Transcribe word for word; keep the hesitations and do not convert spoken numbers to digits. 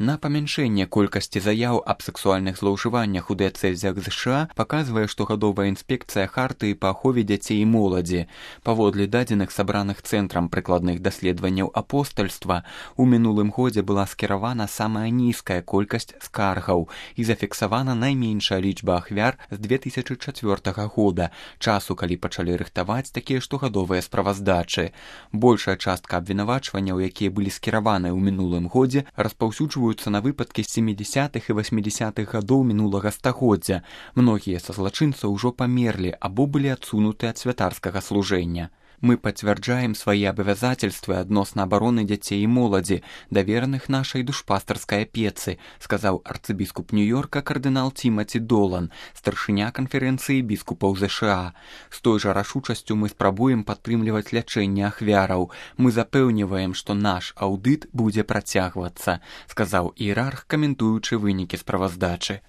На памяншэнне колькасці заяў аб сексуальных злоўжываннях у дыяцэзях ЗША паказвае штогадовая інспекцыя Хартыі па ахове дзяцей і моладзі. Паводле дадзеных сабраных цэнтрам прыкладных даследаванняў апостальства, у мінулым годзе была скіравана самая нізкая колькасць скаргаў і зафіксавана найменшая лічба ахвяр з две тысячы чацвёртага года, часу, калі пачалі рыхтаваць такія штогадовыя справаздачы. Большая частка абвінавачванняў, якія былі скіраваныя ў мінулым годзе, распаўсюджваюцца на выпадкі з сямідзясятых і васьмідзясятых гадоў мінулага стагоддзя. Многія са злачынцаў ужо памерлі або былі адсунуты ад святарскага служэння. Мы пацвярджаем свае абавязательствы адносна абароны дзяцей і моладзі, давераных нашай душпастарскай апецы, сказаў арцыбіскуп Нью-Йорка кардынал Тимати Долан, старшыня канферэнцыі біскупаў ЗША. З той жа рашучасцю мы спрабуем падтрымліваць лячэнне ахвяраў. Мы запэўніваем, што наш аўдыт будзе працягвацца, сказаў іерарх, каментуючы вынікі справаздачы.